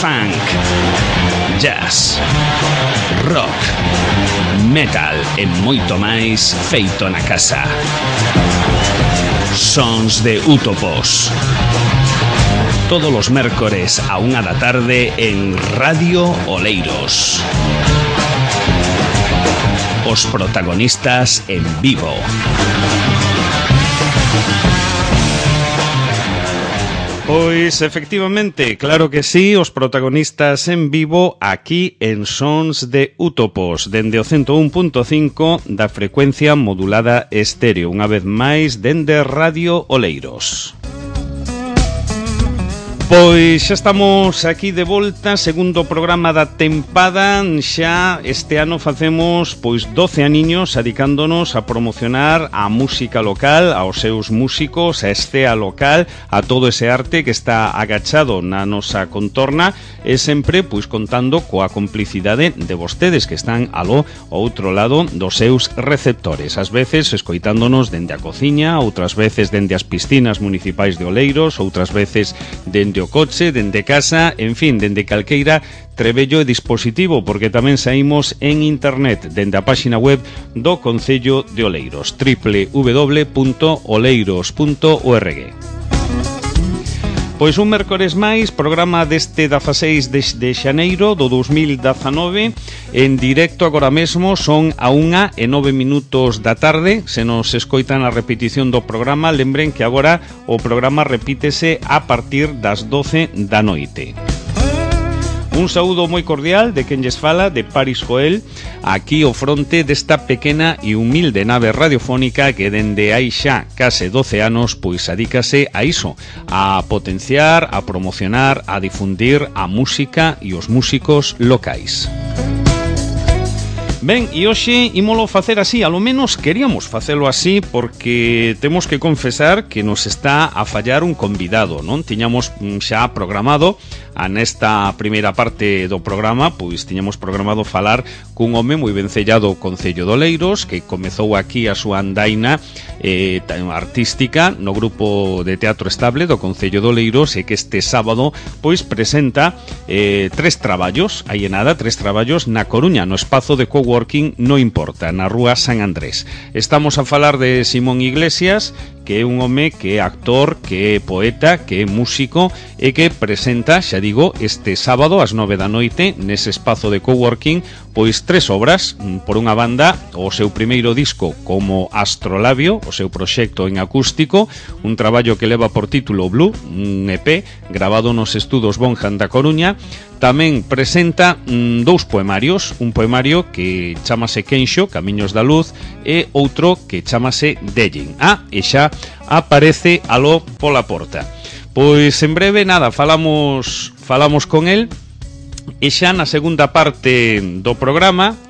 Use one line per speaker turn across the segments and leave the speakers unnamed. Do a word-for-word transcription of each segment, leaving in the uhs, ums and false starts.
funk, jazz, rock, metal e moito máis feito na casa. Sons de Útopos. Todos os mércores a unha da tarde en Radio Oleiros. Os protagonistas en vivo. Pois, efectivamente, claro que sí, os protagonistas en vivo aquí en Sons de Útopos, dende o ciento un punto cinco da frecuencia modulada estéreo, unha vez máis dende Radio Oleiros. Pois xa estamos aquí de volta, segundo programa da tempada. Xa este ano facemos pois doce aniños adicándonos a promocionar a música local, aos seus músicos, a escena local, a todo ese arte que está agachado na nosa contorna e sempre pois contando coa complicidade de vostedes que están aló ao outro lado dos seus receptores, ás veces escoitándonos dende a cociña, outras veces dende as piscinas municipais de Oleiros, outras veces dende o coche, dende casa, en fin, dende calqueira trebello e dispositivo, porque tamén saímos en internet dende a páxina web do Concello de Oleiros, doble u doble u doble u punto oleiros punto org. Pois un mércores máis, programa deste dezaseis de, de xaneiro do dous mil dezanove, en directo agora mesmo, son a unha e nove minutos da tarde. Se nos escoitan a repetición do programa, lembren que agora o programa repítese a partir das doce da noite. Un saúdo moi cordial de quen lles fala, de Paris Joel, aquí ao fronte desta pequena e humilde nave radiofónica que dende hai xa case doce anos pois adícase a iso, a potenciar, a promocionar, a difundir a música e os músicos locais. Ben, e hoxe ímolo facer así, alo menos queríamos facelo así porque temos que confesar que nos está a fallar un convidado, non? Tiñamos xa programado a nesta primeira parte do programa, pois tiñamos programado falar cun home moi vencellado ao Concello de Oleiros que comezou aquí a súa andaina eh, artística no grupo de teatro estable do Concello de Oleiros e que este sábado pois presenta eh, tres traballos, hai nada, tres traballos na Coruña, no espazo de coworking No Importa, na rúa San Andrés. Estamos a falar de Simón Iglesias, que é un home que é actor, que é poeta, que é músico e que presenta, xa digo, este sábado ás nove da noite nese espazo de coworking pois tres obras. Por unha banda, o seu primeiro disco como Astrolabio, o seu proxecto en acústico, un traballo que leva por título Blue, un E P grabado nos estudos Bonham da Coruña. Tamén presenta mm, dous poemarios, un poemario que chamase Quenxo, Camiños da Luz, e outro que chamase Dellin. Ah, e xa aparece aló pola porta. Pois en breve, nada, falamos falamos con el e xa na segunda parte do programa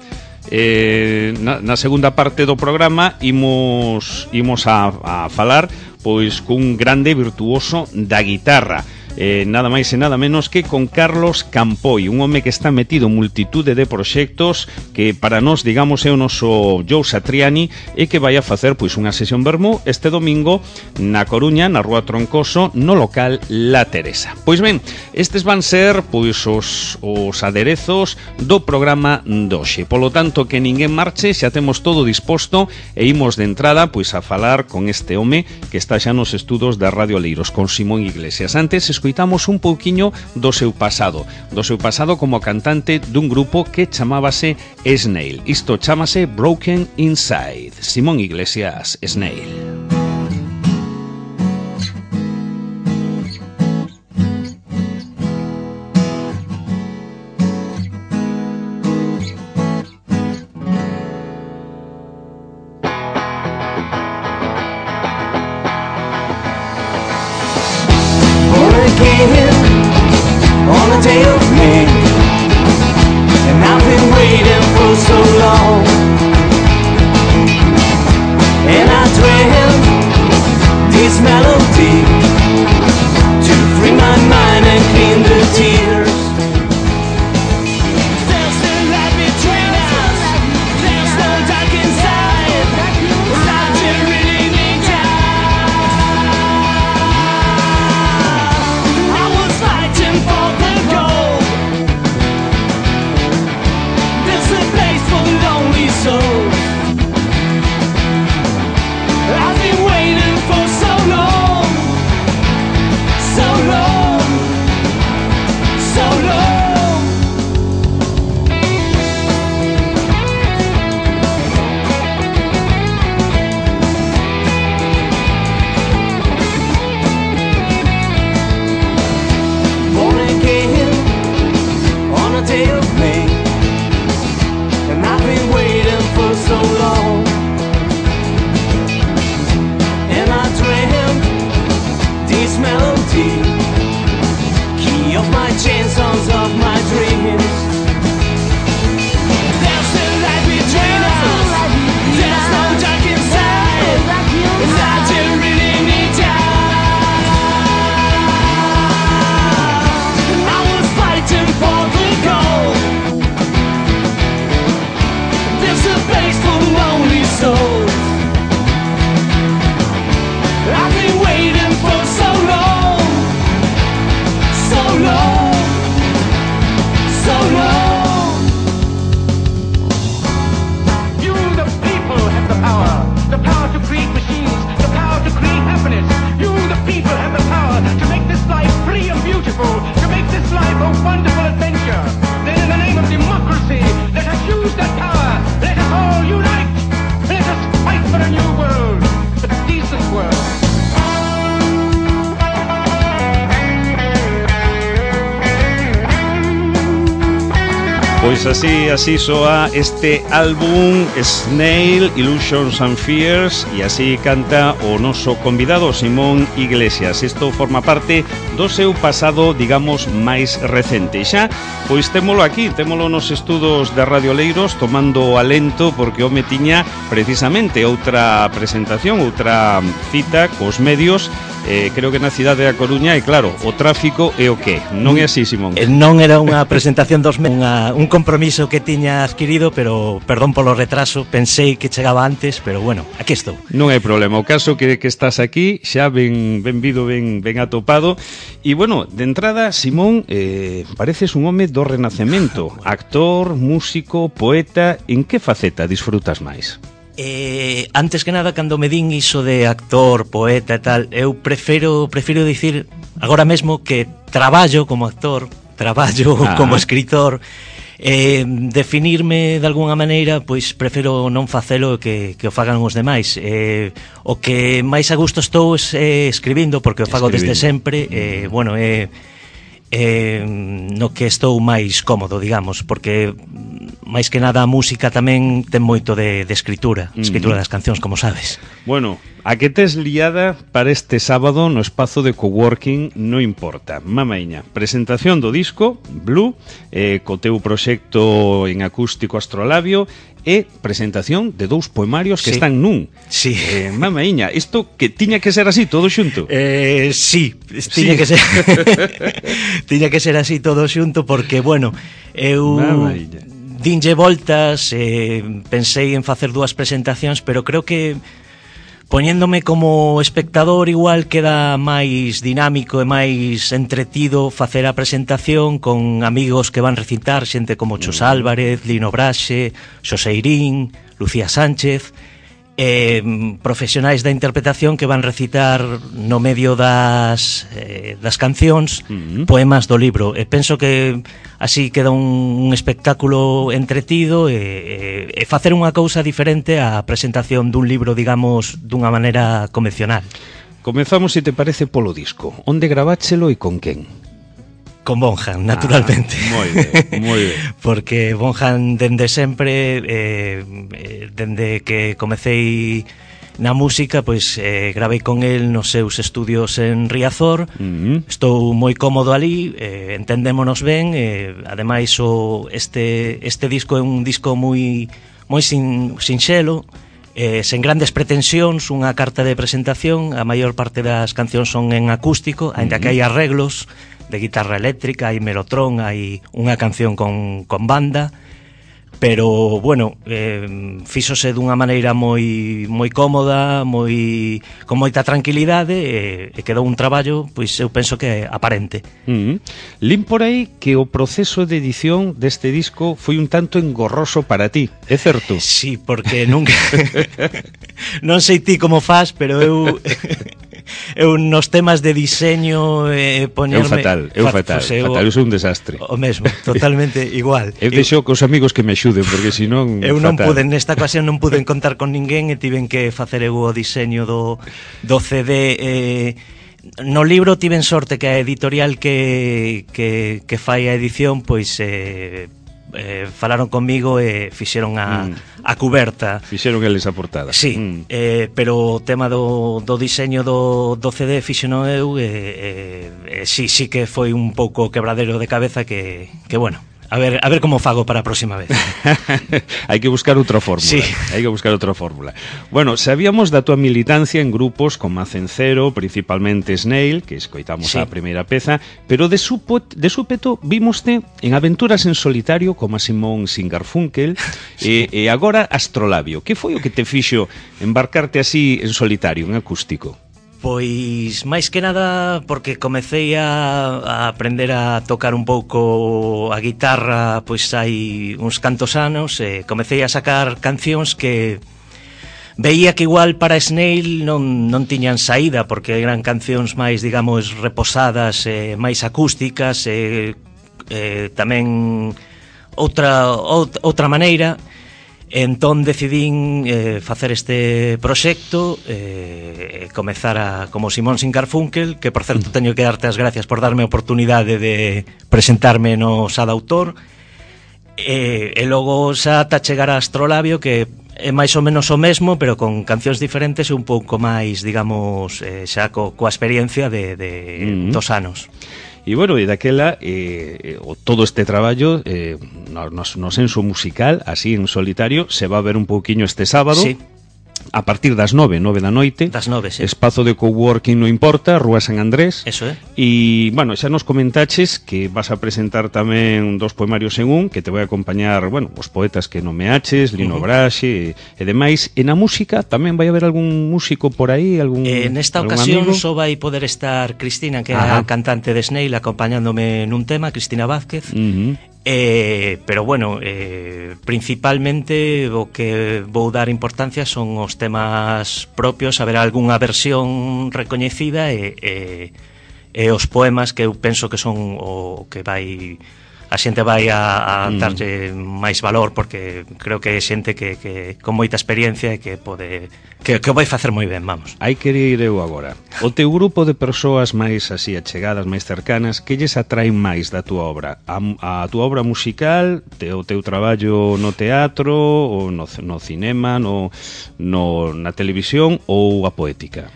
eh, na, na segunda parte do programa imos, imos a, a falar pois cun grande virtuoso da guitarra. Eh, nada máis e nada menos que con Carlos Campoy, un home que está metido en multitude de proxectos que para nós, digamos, é o noso Joe Satriani e que vai a facer pois unha sesión vermú este domingo na Coruña, na rúa Troncoso, no local La Teresa. Pois ben, estes van ser pois os, os aderezos do programa doxe. Polo tanto, que ninguén marche, xa temos todo disposto e imos de entrada pois a falar con este home que está xa nos estudos da Radio Oleiros, con Simón Iglesias. Antes, escoitamos un pouquiño do seu pasado, do seu pasado como cantante dun grupo que chamábase Snail. Isto chámase Broken Inside. Simón Iglesias, Snail.
On a day of May, and I've been waiting for so long, and I dreamt this melody to free my mind and clean the tears. There's no light between us, there's no dark inside, I just really need you. I was fighting for the goal, melody, key of my chains, songs of my dreams. There's still light between us, there's no dark inside, and I do really need you. I was fighting for the goal. There's a place for lonely souls. I've been waiting for so long, so long, so long.
You, the people, have the power. The power to create machines, the power to create happiness. You, the people, have the power to make this life free and beautiful, to make this life a wonderful adventure. Then in the name of democracy, let us use that power. Let us all unite. Let us fight for a new world, a decent world.
Pois así, así soa este álbum Snail, Illusions and Fears, e así canta o noso convidado Simón Iglesias. Isto forma parte do seu pasado, digamos, máis recente. Xa, pois témolo aquí, témolo nos estudos de Radio Oleiros, tomando alento, porque home tiña precisamente outra presentación, outra cita cos medios, eh, creo que na cidade da Coruña, e claro, o tráfico é o que? Non é así, Simón?
Non era unha presentación dos medios, unha, un compromiso que tiña adquirido, pero perdón polo retraso, pensei que chegaba antes, pero bueno, aquí estou.
Non hai problema, o caso que, que estás aquí, xa ben benvido, ben, ben atopado. E bueno, de entrada, Simón, eh, pareces un home do Renacemento, actor, músico, poeta, en que faceta disfrutas máis?
Eh, antes que nada, cando me din iso de actor, poeta e tal, eu prefiro, prefiro dicir agora mesmo que traballo como actor, traballo ah. como escritor. Eh, definirme de algunha maneira, pois prefiro non facelo que, que o fagan os demais. eh, O que máis a gusto estou é eh, escribindo, porque o fago desde sempre. eh, Bueno, é eh, no que estou máis cómodo, digamos, porque máis que nada a música tamén ten moito de, de escritura, escritura das cancións, como sabes.
Bueno, a que tes liada para este sábado no espazo de coworking non importa. Mamaiña, presentación do disco Blue, eh, co teu proxecto en acústico Astrolabio, e presentación de dous poemarios que sí. están nun.
Sí.
Eh, mamaiña, isto que tiña que ser así, todo xunto?
Eh, sí, tiña sí. que ser tiña que ser así todo xunto, porque, bueno, eu mamaiña. dinlle voltas, eh, pensei en facer dúas presentacións, pero creo que poñéndome como espectador igual queda máis dinámico e máis entretido facer a presentación con amigos que van recitar, xente como Chus Álvarez, Lino Braxe, Xoseirín, Lucía Sánchez, eh, profesionais da interpretación que van recitar no medio das, eh, das cancións uh-huh. poemas do libro. E penso que así queda un, un espectáculo entretido e, e, e facer unha cousa diferente á presentación dun libro, digamos, dunha maneira convencional.
Comezamos, se te parece, polo disco. Onde graváchelo e con quen?
Con Bonjan, naturalmente.
Ah, moi ben, moi ben.
Porque Bonjan dende sempre, eh, dende que comecei na música, pois eh, gravei con el nos seus estudios en Riazor. Uh-huh. Estou moi cómodo ali, eh, entendémonos ben, eh, ademais o este este disco é un disco moi moi sin sinxelo, eh, sen grandes pretensións, unha carta de presentación. A maior parte das cancións son en acústico, aínda uh-huh. que hai arreglos de guitarra eléctrica, hai melotron, hai unha canción con, con banda, pero, bueno, eh, fíxose dunha maneira moi moi cómoda, moi con moita tranquilidade, e, e quedou un traballo, pois eu penso que aparente.
Uh-huh. Lin por aí que o proceso de edición deste disco foi un tanto engorroso para ti, é certo?
Sí, porque nunca non sei ti como faz, pero eu eu nos temas de diseño eh, poñerme...
Eu fatal, eu fatal, pues, eu, fatal, eu sou un desastre.
O mesmo, totalmente igual.
Eu deixo cos amigos que me axuden, porque senón...
Eu non
fatal.
pude, nesta ocasión non pude contar con ninguén e tiven que facer eu o diseño do, do C D. Eh, no libro tiven sorte que a editorial que, que, que fai a edición, pois... Eh, eh, falaron conmigo e fixeron a, mm. a cuberta.
Fixeron eles a portada.
Sí, mm. eh, pero o tema do, do diseño do, do C D fixeno eu e eh, eh, sí, sí que foi un pouco quebradero de cabeza que, que bueno, A ver, a ver como fago para a próxima vez.
Hai que buscar outra fórmula.
Sí.
Hai que buscar outra fórmula. Bueno, sabíamos da tua militancia en grupos como Acencero, principalmente Snail, que escoitamos
sí.
a primeira peza, pero de, supo, de súpeto vímoste en aventuras en solitario como a Simón sin Garfunkel sí. e, e agora Astrolabio. Que foi o que te fixo embarcarte así en solitario, en acústico?
Pois, máis que nada, porque comecei a, a aprender a tocar un pouco a guitarra, pois hai uns cantos anos, e comecei a sacar cancións que veía que igual para Snail non, non tiñan saída, porque eran cancións máis, digamos, reposadas, e máis acústicas, e, e tamén outra, outra maneira. Entón decidín eh, facer este proxecto e eh, comezar a, como Simón sin Garfunkel, que por certo teño que darte as gracias por darme a oportunidade de presentarme no Sada Autor, e, e logo xa ata chegar a Astrolabio, que é máis ou menos o mesmo, pero con cancións diferentes e un pouco máis, digamos, eh, xa co, coa experiencia de, de mm-hmm. dos anos.
E, bueno, e daquela, eh, o, todo este traballo, eh, no, no senso musical, así en solitario, se va a ver un pouquiño este sábado.
Sí.
A partir das nove, nove da noite.
Das nove, sí.
Espazo de coworking no importa, Rúa San Andrés.
Eso é.
E, bueno, xa nos comentaches que vas a presentar tamén dos poemarios en un, que te vai acompañar, bueno, os poetas que nomeaches, Lino uh-huh. Braxe e, e demais. E na música tamén vai haber algún músico por aí, algún
eh, nesta
algún
ocasión
amigo?
só vai poder estar Cristina, que é
Ajá.
a cantante de Snail, acompañándome nun tema, Cristina Vázquez.
Uh-huh.
Eh, pero bueno, eh, principalmente o que vou dar importancia son os temas propios, haber algunha versión recoñecida e, e, e os poemas que eu penso que son o que vai a xente vai a, a darlle máis valor, porque creo que é xente que, que con moita experiencia e que pode que, que vai facer moi ben, vamos.
Hai que ir eu agora. O teu grupo de persoas máis así achegadas, máis cercanas, que lles atraen máis da túa obra? A, a túa obra musical, te, o teu traballo no teatro, ou no, no cinema, no, no, na televisión, ou a poética?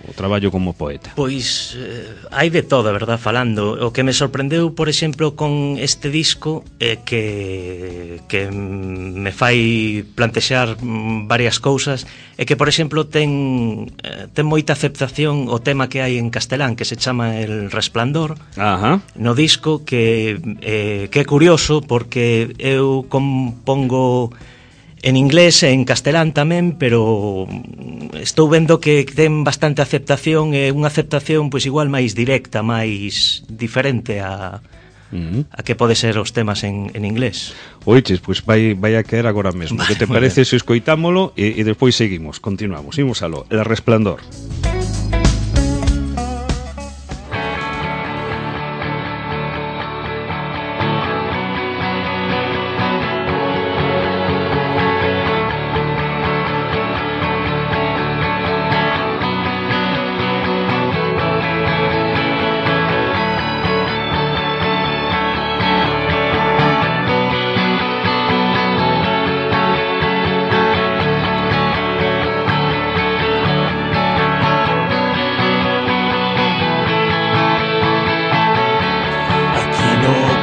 O traballo como poeta?
Pois eh, hai de todo, verdad, falando. O que me sorprendeu, por exemplo, con este disco é que que me fai plantexar varias cousas, é que, por exemplo, ten eh, ten moita aceptación o tema que hai en castelán, que se chama El Resplandor.
Ajá.
No disco, que eh, que é curioso porque eu compongo en inglés e en castelán tamén, pero estou vendo que ten bastante aceptación, e unha aceptación pois igual máis directa, máis diferente a, uh-huh. a que pode ser os temas en, en inglés.
Oiches, pois vai, vai a caer agora mesmo. Vale, que te parece se escoitámolo e, e despois seguimos, continuamos, imos aló. El Resplandor.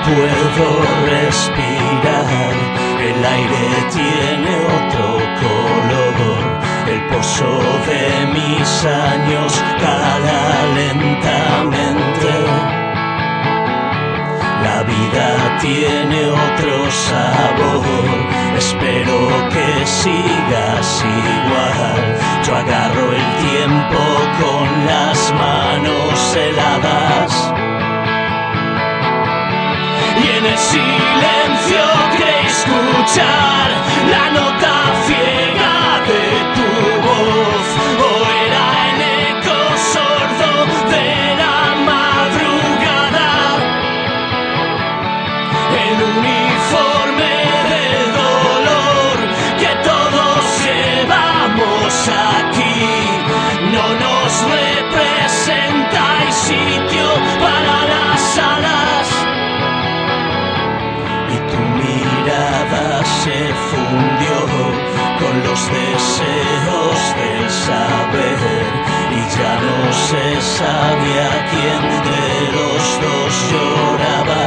Puedo respirar, el aire tiene otro color, el pozo de mis años cala lentamente, la vida tiene otro sabor, espero que sigas igual, yo agarro el tiempo con las manos heladas. Y en el silencio de escuchar la nota ciega de tu voz, o era el eco sordo de la madrugada, el uniforme de dolor que todos llevamos aquí, no nos representa, hay sitio para las alas. había quien de los dos lloraba.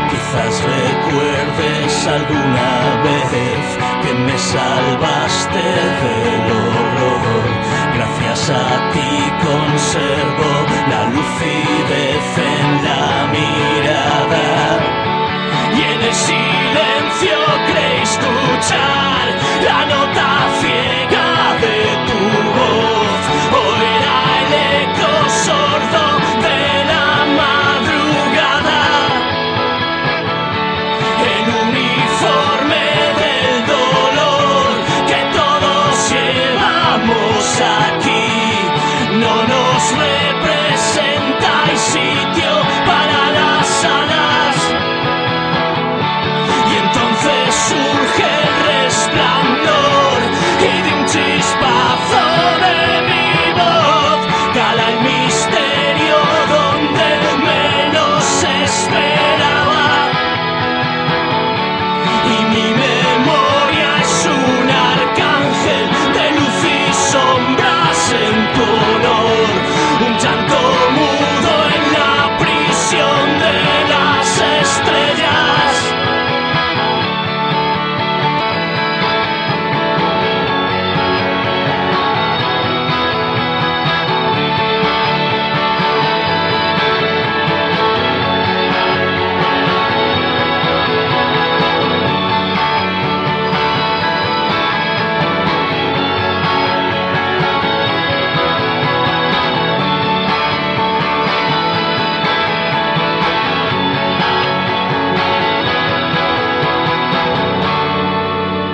Quizás recuerdes alguna vez que me salvaste del horror. Gracias a ti conservo la lucidez en la mirada. Y en el silencio creí escuchar la nota ciega de tu voz. O era el eco sordo de la madrugada. El uniforme del dolor que todos llevamos aquí no nos representa. Hay sitio para las alas. Y entonces surge el resplandor y de un chispazo de mi voz cala el misterio donde menos se esperaba. Y mi memoria es un arcángel de luz y sombras en tu honor. Un llanto mudo en la prisión de las estrellas.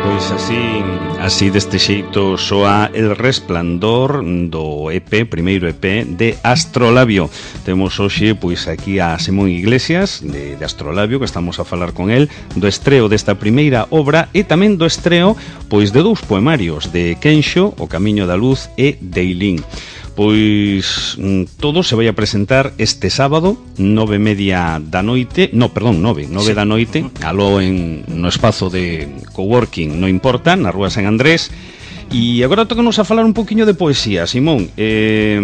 Pois así, así deste xeito soa El Resplandor do E P, primeiro E P de Astrolabio. Temos hoxe pois aquí a Simón Iglesias de, de Astrolabio, que estamos a falar con el do estreo desta primeira obra e tamén do estreo pois de dous poemarios de Kensho, O Camiño da Luz e Deilín. Pois todo se vai a presentar este sábado nove e media da noite, no, perdón, nove, nove sí. da noite, aló en no espazo de coworking, non importa, na Rúa San Andrés. E agora tócanos a falar un poquinho de poesía, Simón. Eh,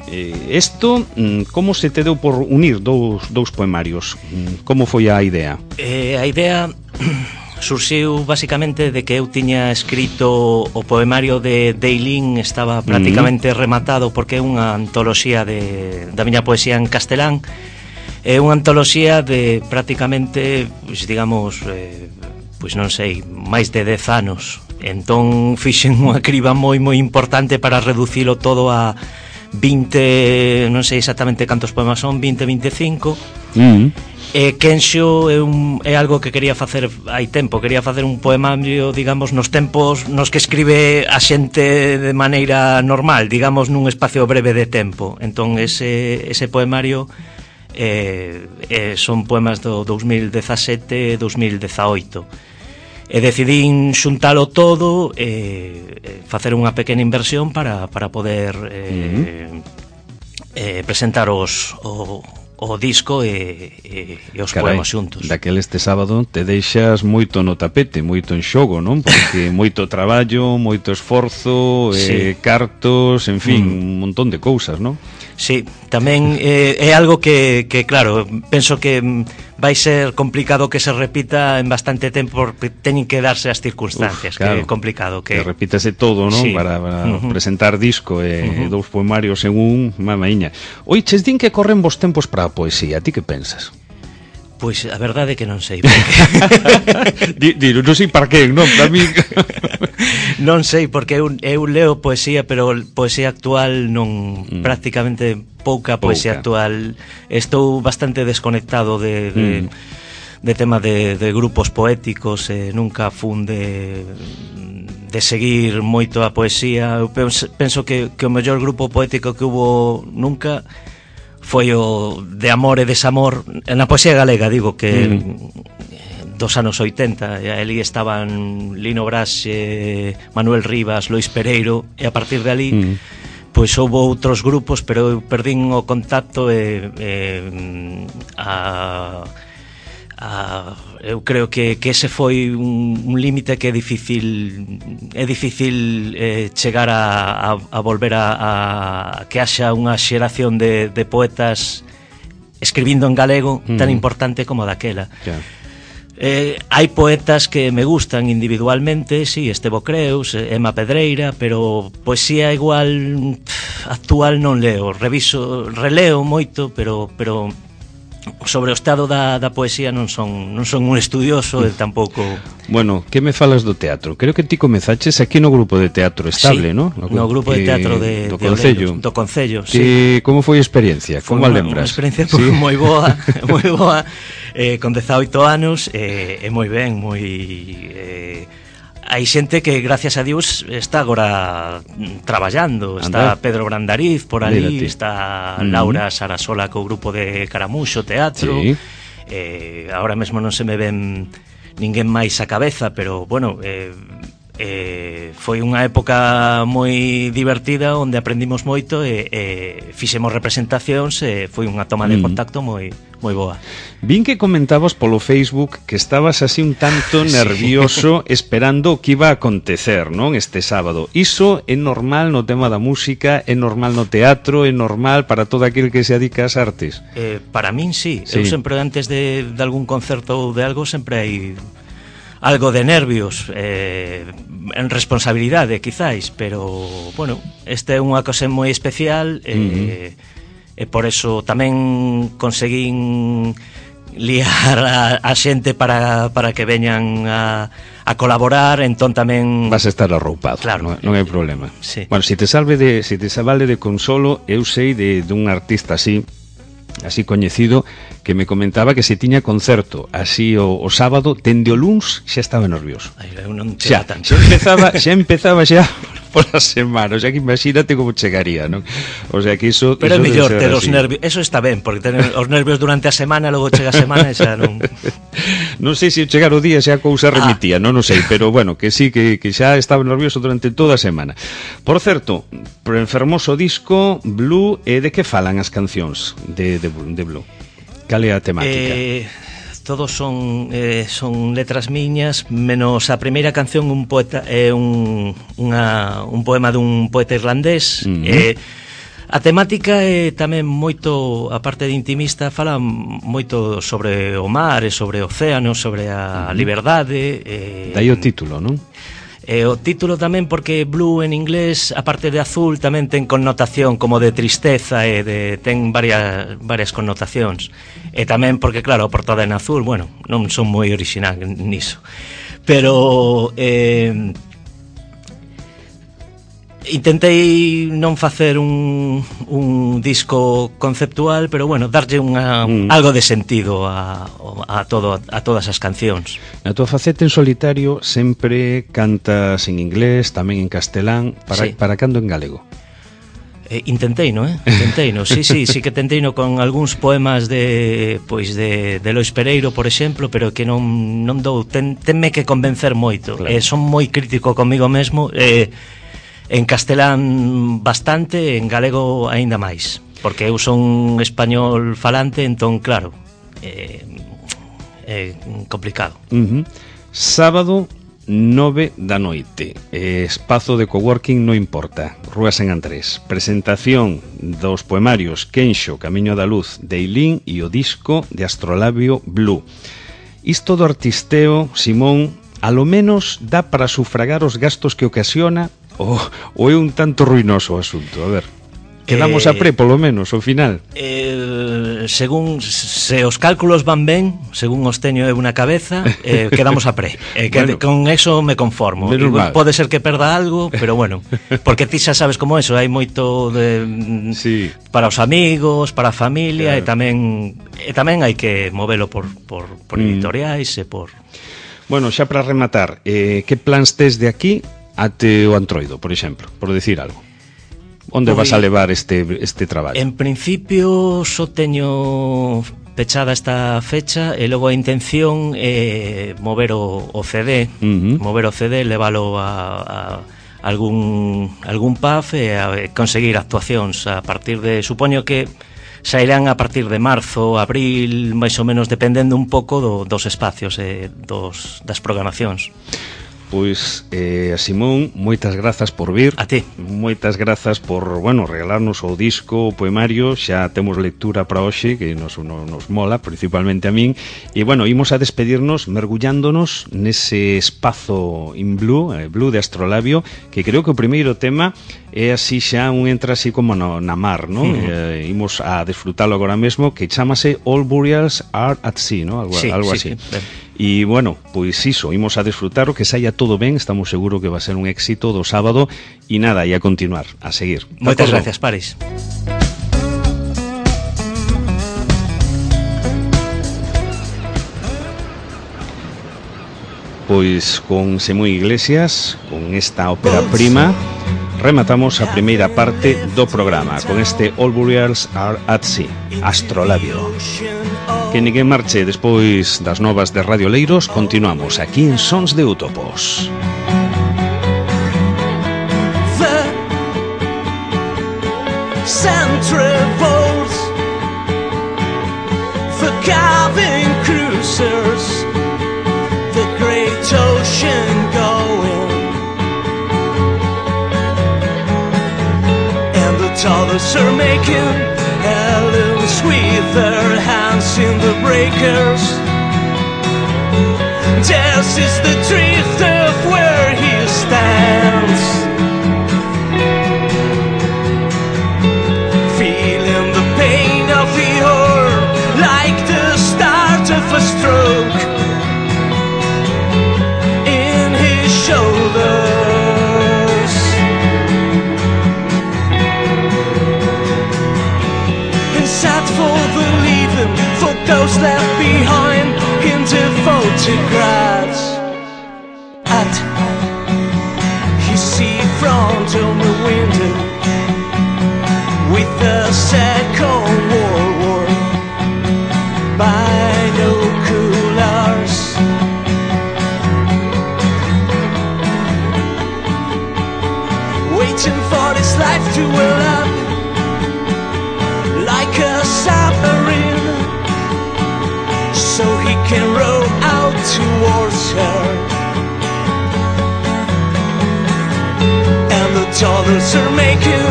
eh, esto, como se te deu por unir dous, dous poemarios? Como foi a idea?
Eh, a idea surxiu basicamente de que eu tiña escrito o poemario de Deilín, estaba prácticamente mm. rematado porque é unha antoloxía de, da miña poesía en castelán. É unha antoloxía de prácticamente, pois, digamos, eh, pois non sei, máis de dez anos. Entón fixen unha criba moi moi importante para reducilo todo a vinte, non sei exactamente cantos poemas son, vinte, veinticinco. Mm. E Kensho é, un, é algo que quería facer hai tempo, quería facer un poemario, digamos, nos tempos nos que escribe a xente de maneira normal, digamos, nun espacio breve de tempo. Entón ese, ese poemario eh, eh, son poemas do dous mil dezasete e dous mil dezaoito. E decidín xuntalo todo e eh, facer unha pequena inversión para, para poder eh, uh-huh. eh, presentar os... O, o disco e, e, e os Carai, poemas xuntos.
Daquel este sábado te deixas moito no tapete, moito en xogo, non? Porque moito traballo, moito esforzo, sí. eh, cartos, en fin, mm. un montón de cousas, non?
Sí, tamén eh, é algo que, que, claro, penso que vai ser complicado que se repita en bastante tempo porque teñen que darse as circunstancias. Uf, claro, que é complicado que...
que repítase todo, non? Sí. Para, para uh-huh. presentar disco e uh-huh. dous poemariños en un, mamaíña. Oiches, din que corren vos tempos para a poesía, ti que pensas?
Pois a verdade é que non sei porque...
Diro, non sei para que, non? Para mí...
non sei, porque eu, eu leo poesía, pero poesía actual non... Mm. Prácticamente pouca poesía pouca. Actual. Estou bastante desconectado de... de mm. de tema de, de grupos poéticos, eh, nunca fun de... de seguir moito a poesía. Eu penso, penso que, que o mellor grupo poético que hubo nunca... foi o de amor e desamor na poesía galega, digo que mm. dos anos oitenta, e ali estaban Lino Braxe, Manuel Rivas, Lois Pereiro, e a partir de ali mm. pois houve outros grupos, pero eu perdín o contacto e, e a, a, eu creo que, que ese foi un, un límite que é difícil é difícil eh, chegar a, a, a volver a, a que haxa unha xeración de, de poetas escribindo en galego mm. tan importante como daquela. Yeah. Eh, hai poetas que me gustan individualmente, sí, Estevo Creus, Ema Pedreira, pero poesía igual pff, actual non leo, reviso, releo moito, pero pero sobre o estado da, da poesía non son non son un estudioso e tampouco.
Bueno, que me falas do teatro? Creo que ti comezaches aquí no grupo de teatro estable,
sí,
¿no?
No, no grupo de teatro de,
do
de
Concello.
Oleiros, do Concello,
que,
sí.
Como foi a experiencia?
Foi
como a
unha,
lembras?
Unha experiencia
sí?
moi boa, moi boa. Eh, con dezaoito anos e eh, eh, moi ben, moi eh, hai xente que gracias a Dios está agora traballando, está Andá. Pedro Brandariz por ali, Mírate. Está Laura Sarasola co grupo de Caramuxo Teatro. Sí. Eh, ahora mesmo non se me ven ninguén máis a cabeza, pero bueno, eh, eh, foi unha época moi divertida onde aprendimos moito e eh, fixemos representacións e foi unha toma de contacto moi moi boa.
Vin que comentabas polo Facebook que estabas así un tanto nervioso sí. esperando o que iba a acontecer, non? Este sábado. Iso é normal no tema da música, é normal no teatro, é normal para todo aquel que se dedica ás artes?
Eh, para min sí. sí. Eu sempre antes de, de algún concerto ou de algo sempre hai algo de nervios, eh, en responsabilidade quizáis, pero bueno, esta é unha cosa moi especial e eh, uh-huh. E por eso tamén conseguín liar a, a xente para, para que veñan a, a colaborar, entón tamén...
Vas a estar arroupado,
claro,
non, non hai problema.
Sí.
Bueno, se te salve de, se te vale de consolo, eu sei de, de un artista así, así coñecido, que me comentaba que se tiña concerto así o, o sábado, tende o luns xa estaba nervioso.
Ai, eu non
xa, tanto. xa empezaba, xa empezaba xa pola semana, o sea que imagínate como chegaría, non? O sea que iso...
Pero é mellor ter os nervios, eso está ben, porque tener os nervios durante a semana, logo chega a semana e xa non...
Non sei se chegar o día xa a cousa remitía, ah. non o sei, pero bueno, que sí, que, que xa estaba nervioso durante toda a semana. Por certo, por enfermoso disco, Blue, e de que falan as cancións de, de, de Blue? Cal é a temática?
Eh, todos son eh, son letras miñas, menos a primeira canción, un poeta é eh, un unha, un poema dun poeta irlandés. Uh-huh. Eh, a temática é tamén moito, a parte de intimista, fala moito sobre o mar e sobre o océano, sobre a uh-huh. liberdade. Eh,
Dai o título, non?
E o título tamén porque Blue en inglés, a parte de azul, tamén ten connotación como de tristeza e de, ten varias, varias connotacións. E tamén porque, claro, a portada en azul, bueno, non son moi orixinal niso. Pero eh, intentei non facer un, un disco conceptual, pero bueno, darlle unha, mm. algo de sentido a, a, todo, a todas as cancións.
Na tua faceta en solitario sempre cantas en inglés, tamén en castelán, para, sí. para cando en galego?
Eh, intentei, non, eh? Intentei, no. Sí, sí, sí que tentei no con algúns poemas de pois de, de Lois Pereiro, por exemplo, pero que non, non dou, ten, tenme que convencer moito. Claro. Eh, son moi crítico comigo mesmo, eh, en castelán bastante, en galego aínda máis, porque eu son español falante, entón claro, é eh, eh, complicado.
Uh-huh. Sábado nove da noite, eh, espazo de coworking No Importa, Rúa San Andrés, presentación dos poemarios Quenxo, Camiño da Luz, de Eilín e o disco de Astrolabio Blue. Isto do artisteo, Simón, a lo menos dá para sufragar os gastos que ocasiona ou, ou é un tanto ruinoso o asunto? A ver, quedamos eh, a pre, polo menos, ao final.
Eh, según, se os cálculos van ben, según os teño eu na cabeza, eh, quedamos a pre. Eh, que, bueno, con eso me conformo. Pode ser que perda algo, pero bueno, porque ti xa sabes como eso, hai moito de, sí. para os amigos, para a familia, claro. e tamén e tamén hai que movelo por, por, por editoriais mm. e por...
Bueno, xa para rematar, eh, que plans tes de aquí até o Antroido, por exemplo, por decir algo? Onde vas a levar este, este traballo?
En principio só teño pechada esta fecha e logo a intención é mover o, o C D, uh-huh. mover o C D, leválo a, a algún, algún pub e a conseguir actuacións a partir de, supoño que sairán a partir de marzo, abril, máis ou menos, dependendo un pouco do, dos espacios e dos, das programacións.
Pois, eh, Simón, moitas grazas por vir.
A ti.
Moitas grazas por, bueno, regalarnos o disco, o poemario. Xa temos lectura para hoxe, que nos, nos, nos mola, principalmente a min. E, bueno, imos a despedirnos mergullándonos nese espazo in blue, eh, blue de Astrolabio, que creo que o primeiro tema é así xa un entra así como no, na mar, ¿no? Uh-huh. Eh, imos a desfrutalo agora mesmo, que chamase All Burials Are at Sea, ¿no? Algo,
sí,
algo
sí,
así.
Sí.
E, bueno, pois iso, imos a desfrutar o que saia todo ben, estamos seguros que va a ser un éxito do sábado, e nada, e a continuar, a seguir.
Moitas gracias, Paris.
Pois con Simón Iglesias, con esta ópera prima, rematamos a primeira parte do programa con este All Burials Are at Sea, Astrolabio. Que ninguén marche. Despois das novas de Radio Leiros, continuamos aquí en Sons de Útopos.
The centrivores, the cabin cruisers, the great ocean going, and the toddlers are making Helens with their hands in the breakers. This is the drift of where he stands, feeling the pain of the oar like the start of a stroke in his shoulders. Sad for the leaving, for those left behind in the photographs. At his seafront on the window, with the Second World War binoculars. Waiting for this life to well up like a submarine, so he can row out towards her. And the dollars are making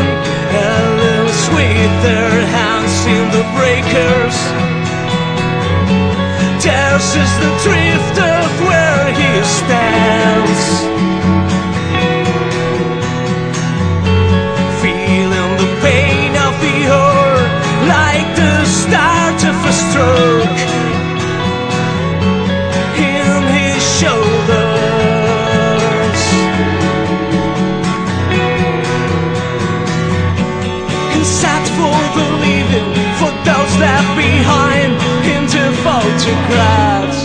Helens with their hands in the breakers. Theirs is the drift of where he stands, feeling the pain of the oar like the start of a stroke in his shoulders. And sad for the leaving, for those left behind in the photographs.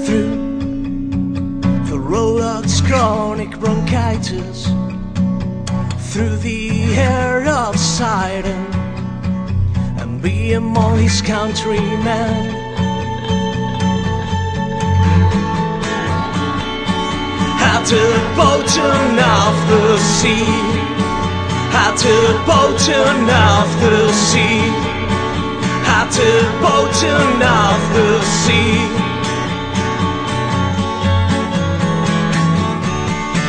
Through the Rolex chronic bronchitis, through the air of siren, be among his countrymen. At the bottom of the sea, at the bottom of the sea, at the bottom of the sea.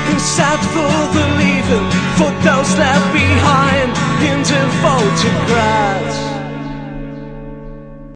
And sad for the leaving, for those left behind in the photographs.